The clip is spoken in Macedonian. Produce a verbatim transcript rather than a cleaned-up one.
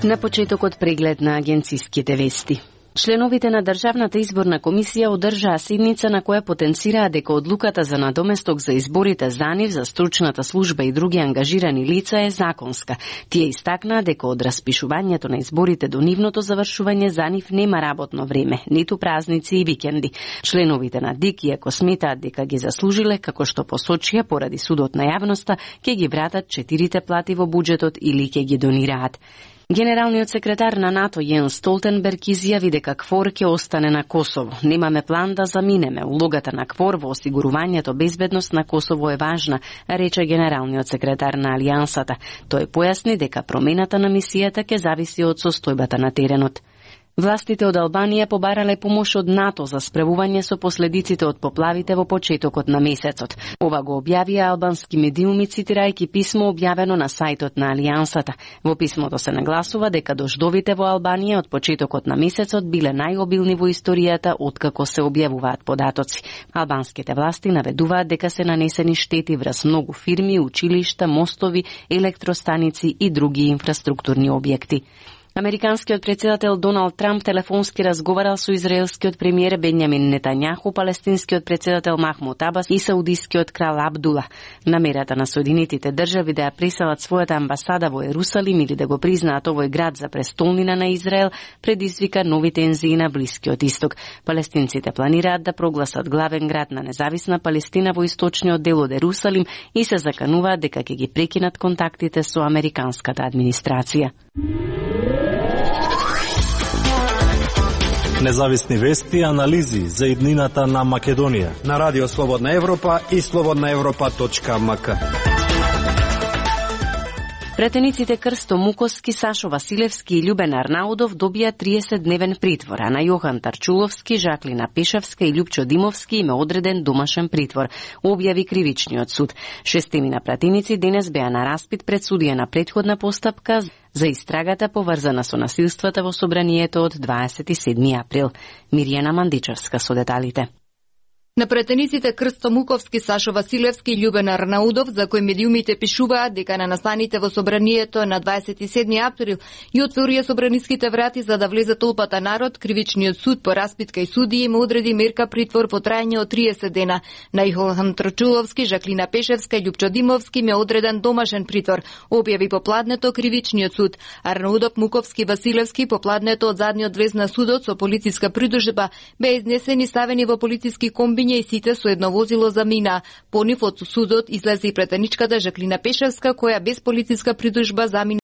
На почетокот преглед на агенциските вести. Членовите на Државната изборна комисија одржаа седница на која потенцираа дека одлуката за надоместок за изборите за нив, за стручната служба и други ангажирани лица е законска. Тие истакнаа дека од распишувањето на изборите до нивното завршување за нив нема работно време, ниту празници и викенди. Членовите на ДИК, иако сметаат дека ги заслужиле, како што посочија поради судот на јавноста, ќе ги вратат четирите плати во буџетот или ќе ги донираат. Генералниот секретар на НАТО Јенс Столтенберг изјави дека КФОР ќе остане на Косово. Немаме план да заминеме. Улогата на КФОР во осигурувањето безбедност на Косово е важна, рече генералниот секретар на Алијансата. Тој појасни дека промената на мисијата ќе зависи од состојбата на теренот. Властите од Албанија побарале помош од НАТО за справување со последиците од поплавите во почетокот на месецот. Ова го објавија албански медиуми цитирајќи писмо објавено на сајтот на Алијансата. Во писмото се нагласува дека дождовите во Албанија од почетокот на месецот биле најобилни во историјата откако се објавуваат податоци. Албанските власти наведуваат дека се нанесени штети врз многу фирми, училишта, мостови, електростаници и други инфраструктурни објекти. Американскиот претседател Доналд Трамп телефонски разговарал со израелскиот премиер Бенјамин Нетањаху, палестинскиот претседател Махмуд Абас и саудискиот крал Абдула. Намерата на Соединетите држави да ја преселат својата амбасада во Ерусалим или да го признаат овој град за престолнина на Израел предизвика нови тензии на Блискиот исток. Палестинците планираат да прогласат главен град на независна Палестина во источниот дел од Ерусалим и се закануваат дека ќе ги прекинат контактите со американската администрација. Независни вести и анализи за иднината на Македонија на Радио Слободна Европа и слободна европа точка ем ка. Претениците Крсто Муковски, Сашо Василевски и Љубен Арнаудов добија триесетдневен притвор, а на Јохан Тарчуловски, Жаклина Пешевска и Љупчо Димовски им е одреден домашен притвор, објави кривичниот суд. Шестемина пратеници денес беа на распит пред судија на претходна постапка за истрагата поврзана со насилствата во собранието од дваесет и седми април. Мирјана Мандичевска со деталите. На претениците Крсто Муковски, Сашо Василевски и Љубен Арнаудов, за кои медиумите пишуваат дека на настаните во собранието на дваесет и седми април и отворија собраниските врати за да влезе толпата народ, кривичниот суд по распитка и судија им одреди мерка притвор во трајање од триесет дена. На Јохан Тарчуловски, Жаклина Пешевска и Љупчо Димовски им е одреден домашен притвор, објави попладнето кривичниот суд. Арнаудов, Муковски, Василевски попладнето од задниот влез на судот со полициска придужба беа изнесени ставени во полициски комбини и сите со едно возило замина. По нив од судот излезе и претеничката Жаклина Пешевска, која без полициска придужба замина